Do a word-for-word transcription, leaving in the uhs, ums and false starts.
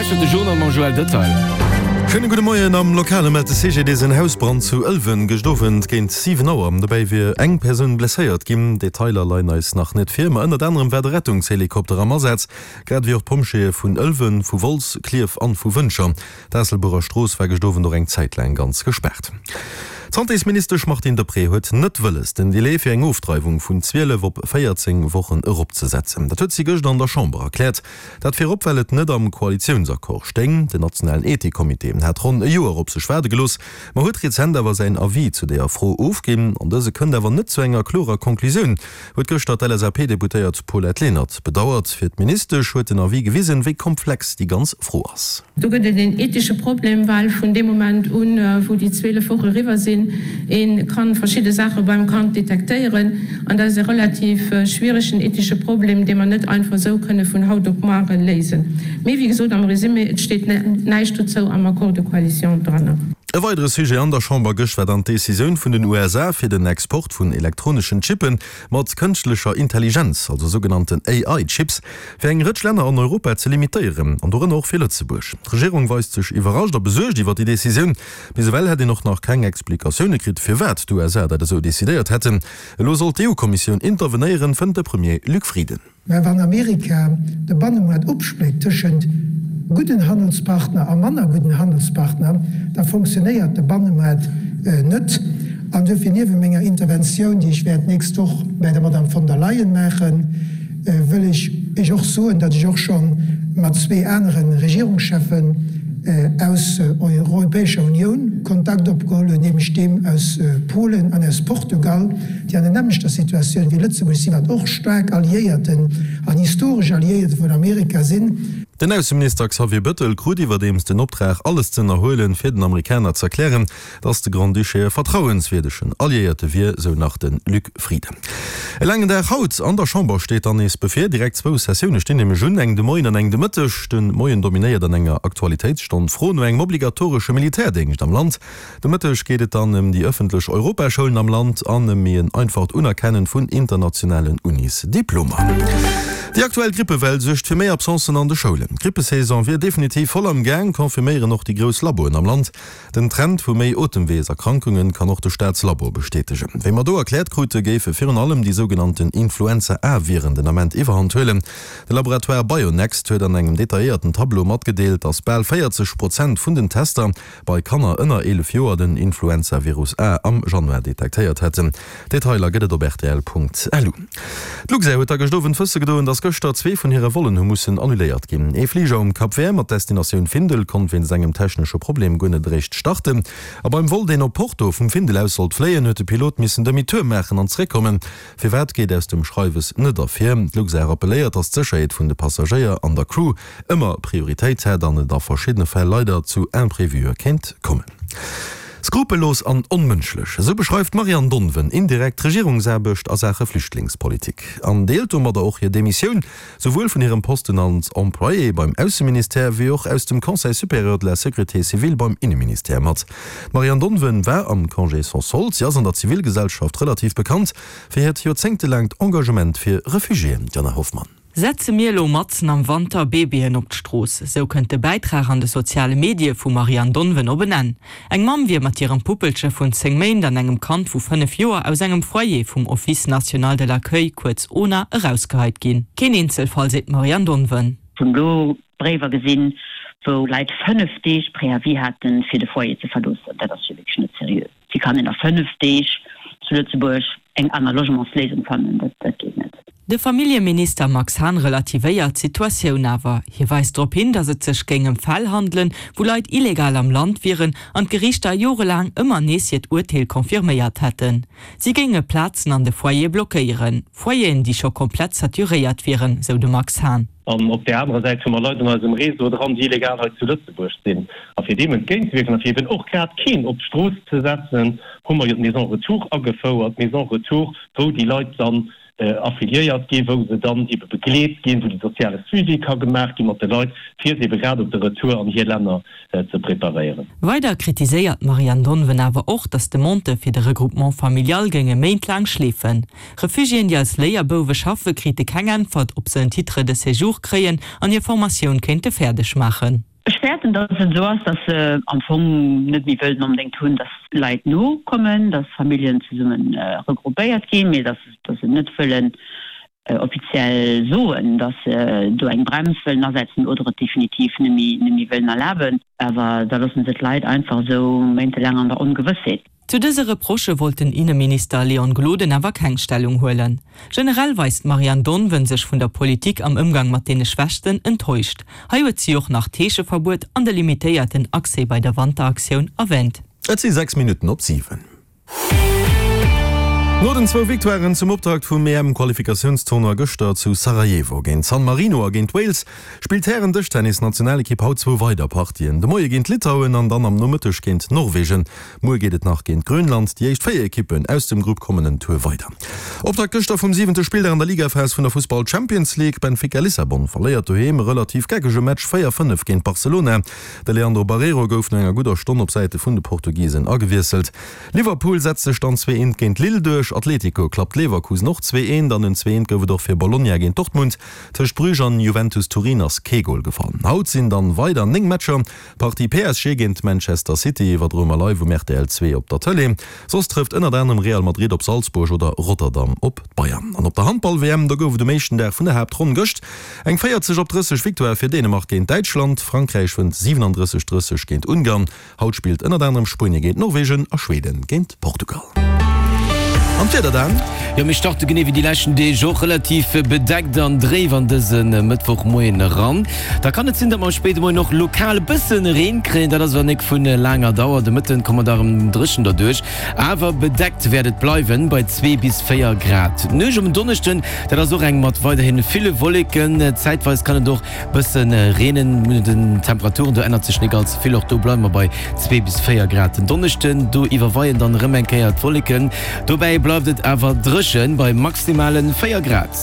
Lauschtert de Journal mam Joël Detail. Schéine gudde Moien. Am Lokale mellt de C G D S en Hausbrand zu Ëlwen gëscht Owend géint siwen Auer. Dobäi wier eng Persoun blesséiert ginn. Detailer leien eis nach net vir, ma ënnert anerem war de Rettungshelikopter am Asaz, grad ewéi och d'Pompjeeë vun Ëlwen, vu Wolz, Klierf an vu Wëntger. D'Aasselburer Strooss war gëscht Owend och eng Zäit laang ganz gespaart. D'Santésministesch Martine Deprez huet net wëlles, den Delai fir eng Ofdreiwung vun zwielef op véierzéng Wochen eropzesetzen. Dat huet si gëscht an der Chamber erkläert. Dat virop, well et net am Koalitiounsaccord stéing. Den nationalen Ethikkommitee hat ronn e Joer op sech waarde gelooss, ma huet rezent awer säin Avis zu deeër Fro ofginn. An dëse kënnt awer net zu enger klorer Konklusioun, huet gëschter d'L S A P-Deputéiert Paulette Lenert bedauert. Fir d'Ministesch huet den Avis gewisen, wéi komplex déi ganz Fro ass. Do gëtt et een ethesche Problem, well vun deem Moment un, wou déi zwielef Woche eriwwer sinn, ee ka verschidde Saache beim Kand detektéieren. An dat ass e relativ schwieregen ethesche Problem, dee mer net einfach esou kënne vun haut op muer léisen. Mee wéi gesot, am Résumé, et steet näischt dozou am Accord de coalition dran. E weidere Sujet an der Chamber gëscht war dann d'Decisioun vun den U S A fir den Export vun elektroneschen Chippe mat kënschtlecher Intelligenz, also sougenannten A I-Chips, fir eng Rëtsch Länner an Europa ze limitéieren, an dorënner och fir Lëtzebuerg. D'Regierung weist sech iwwerrascht a besuergt iwwer déi Decisioun. Bis ewell hätt een och nach keng Explikatioune kritt, firwat d'U S A dat esou decidéiert hätten. Elo soll d'E U-Kommissioun intervenéieren, fënnt de Premier Luc Frieden. Mä wann Amerika de Bannemoart opspléckt tëschent gudden Handelspartner a manner gudden Handelspartner, da funktionéiert de Bannemoart net. An duerfir, niewent menger Interventioun, déi ech wäert d'nächst Woch bei der Madame von der Leyen maachen, wëll ech Iech och soen, datt ech och scho mat zwee anere Regierungscheffen aus Europäescher Unioun Kontakt opgeholl hunn, nämlech deem aus Polen an aus Portugal, déi an der nämmlechter Situatioun wéi Lëtzebuerg sinn, wat och staark Alliéierten an historesch Alliéierte vun Amerika sinn. Den Ausseminister Xavier Bettel krut iwwerdeems den Optrag, alles ze ënnerhuelen, fir den Amerikaner z'erklären, datt de Grand-Duché e vertrauenswierdegen Alliéierte wier, sou nach de Luc Frieden. E laangen Dag haut an der Chamber steet dann nees bevir. Direkt zwou Sessioune stinn nämlech un, eng de Moien an eng de Mëtteg. De Moien dominéiert an enger Aktualitéitsstonn d'Fro no engem obligatoresche Militärdéngscht am Land. De Mëtteg geet et dann ëm déi ëffentlech Europaschoulen am Land an ëm méi en einfacht Unerkennen vun internationalen Unisdiplomer. Déi aktuell Grippewell suergt fir méi Absencen an de Schoulen. D'Grippesaison wier definitiv voll am Gaang, confirméieren och déi grouss Laboen am Land. Den Trend vu méi Otemweeserkrankunge kann och de Staatslabo bestätegen. Wéi mer do erkläert krute, géife virun allem déi sougenannten Influenza-A-Viren den Ament Iwwerhand huelen. De Laboratoire Bionext huet an engem detailléierten Tableau matgedeelt, datt bal véierzeg Prozent vun den Tester bei Kanner ënner eelef Joer den Influenza-Virus A am Januar detektéiert hätten. Detailer gëtt et op R T L Punkt L U. D'Luxair huet da gëscht Owend wësse gedoen, datt gëschter zwee vun hire Vollen hu mussen annuléiert ginn. Ee Fliger um Cap Vert mat Destinatioun Findel konnt wéinst engem technesche Problem guer net eréischt starten. A beim Vol, deen op Porto vum Findel aus sollt fléien, huet de Pilot missen Demi-tour maachen an zeréckkommen. Firwat geet aus dem Schreiwes net ervir. D'Luxair rappelléiert, datt d'Sécherheet vun de Passagéier an der Crew ëmmer Prioritéit hätt an et a verschiddene Fäll leider zu Imprévue kéint kommen. Skrupellos an onmënschlech, esou beschreift d'Marianne Donven indirekt d'Regierungsaarbecht a Saache Flüchtlingspolitik an deelt domadder och hir Demissioun, souwuel vun hirem Posten als Employée beim Ausseministère wéi och aus dem Conseil supérieur de la sécurité civile beim Inneministère mat. D'Marianne Donven war am Congé sans solde. Si ass an der Zivilgesellschaft relativ bekannt fir hiert joerzéngtelaangt Engagement fir Refugiéen. D'Jana Hoffmann. Setze mir elo matzen am Wanter Babyen op d'Strooss. Sou kënnt de Bäitrag an de soziale Medie vum Marianne Donven op en Enn. Eng Mamm wier mat hirem Puppelche vun zéng Méint an engem Kand vu fënnef Joer aus engem Foyer vum Office national de l'accueil, kuerz ONA, erausgeheit ginn. Keen Eenzelfall, seet d'Marianne Donven. Hunn do Bréiwer gesinn, wou Leit fënnef Deeg Préavis haten, fir de Foyer ze verloossen. Dat ass jo wierklech net seriö. Wéi kann een a fënnef Deeg zu Lëtzebuerg eng aner Logementsléisung fannen? Dat, dat geet net. De Familljeminister Max Hahn relativéiert d'Situatioun awer. Hie weist drop hin, datt et sech géing ëm Fäll handelen, wou Leit illegal am Land wieren an d'Geriichter jorelaang ëmmer nees hiert Urteel confirméiert hätten. Si géinge Plazen an de Foyere blockéieren. Foyeren, déi scho komplett saturéiert wieren, sou de Max Hahn. An op där anerer Säit hu mer Leit an eisem Réseau dran, déi illegal hei zu Lëtzebuerg sinn. A fir deem entgéintzewierken a fir eben och grad keen op d'Strooss ze setzen, hu mer jo d'Maison Retour agefouert, d'Maison Retour, wou déi Leit dann affiliéiert ginn, wou se dann ebe begleet ginn, wou de soziale Suivi ka gemaach gi mat de Leit, fir se ebe grad op de Retour an hir Länner ze preparéieren. Weider kritiséiert d'Marianne Donven awer och, datt d'Demandë fir de Regroupement familial géinge méintlaang schleefen. Refugiéen, déi als Léierbouwe schaffe, krite keng Äntwert, ob se en Titre de séjour kréien an hir Formatioun kéinte fäerdeg maachen. Ech fäerten, datt et esou ass, datt se am Fong net méi wëllen onbedéngt hunn, datt Leit nokommen, datt Familljen zesumme regroupéiert ginn, mee datt se net wëllen offiziell soen, datt se do eng Brems wëllen asetzen oder et definitiv net méi wëllen erlaben. Awer da loosse se d'Leit einfach esou méintelaang an der Ongewëssheet. Zu dëse Reprochë wollt den Inneminister Leon Gloden awer keng Stellung huelen. Generell weist d'Marianne Donven sech vun der Politik am Ëmgang mat deene Schwächsten enttäuscht. Hei huet si och nach d'Heescheverbuet an de limitéierten Accès bei der Wanteraktioun erwänt. Et si sechs Minutten op siwen. No den zwou Victoiren zum Optakt vum EM-Qualifikatiounstournoi gëschter zu Sarajevo géint San Marino a géint Wales spillt d'Hären-Dëschtennis-Nationalekipp haut zwou weider Partien, de Moie géint Litauen an dann am Nomëtteg géint Norwegen. Muer geet et nach géint Grönland. Déi éischt véier Ekippen aus dem Grupp kommen en Tour weider. Optakt gëschter vum siwente Spilldag an der Ligaphas vun der Fussball-Champions League, Benfica Lissabon verléiert doheem e relativ geckege Match véier, fënnef géint Barcelona. De Leandro Barreiro gouf no enger gudder Stonn op Säite vun de Portugisen agewiesselt. Liverpool setzt sech dann zwee eent géint Lille duerch, Atletico klappt Leverkusen och zwee eent an en zwee eent gouf et och fir Bologna géint Dortmund. Tëscht Bruges an Juventus Turin ass kee Gol gefall. Haut sinn dann weider néng Matcher, Partie P S G géint Manchester City iwwerdroe mer live um R T L zwee op der Tëlee. Soss trëfft ënnert anerem Real Madrid op Salzburg oder Rotterdam op d'Bayern. An op der Handball-W M, do gouf et um éischten Dag vun der Haaptronn gëscht eng véierzeg op drësseg Victoire fir Dänemark géint Däitschland. Frankräich wënnt siwenandrësseg drësseg géint Ungarn. Haut spillt ënnert anerem Spuenie géint Norwegen a Schweden géint Portugal. An d'Wieder dann? Jo, mir starte genee wéi déi leschten Deeg och relativ bedeckt an dréif an dëse Mëttwochmoien eran. Da kann et sinn, datt mer am spéide Moien och lokal e bësse Reen kréien, dat ass awer nik vu laanger Dauer. De Mëtten komme mer da erëm dréchen derduerch, awer bedeckt wäert et bleiwen bei zwee bis véier Grad. D'Nuecht um Donneschden, dat ass och eng mat weiderhi ville Wolleken, zäitweis kann et och bësse reenen. Un den Temperaturen do ännert sech nik all ze vill, och do bleiwe mer bei zwee bis véier Grad. Den Donneschden, do iwwerweien dann erëm eng Kéier d'Wolleken, dobäi bleift et awer dréchen bei maximale véier Grad.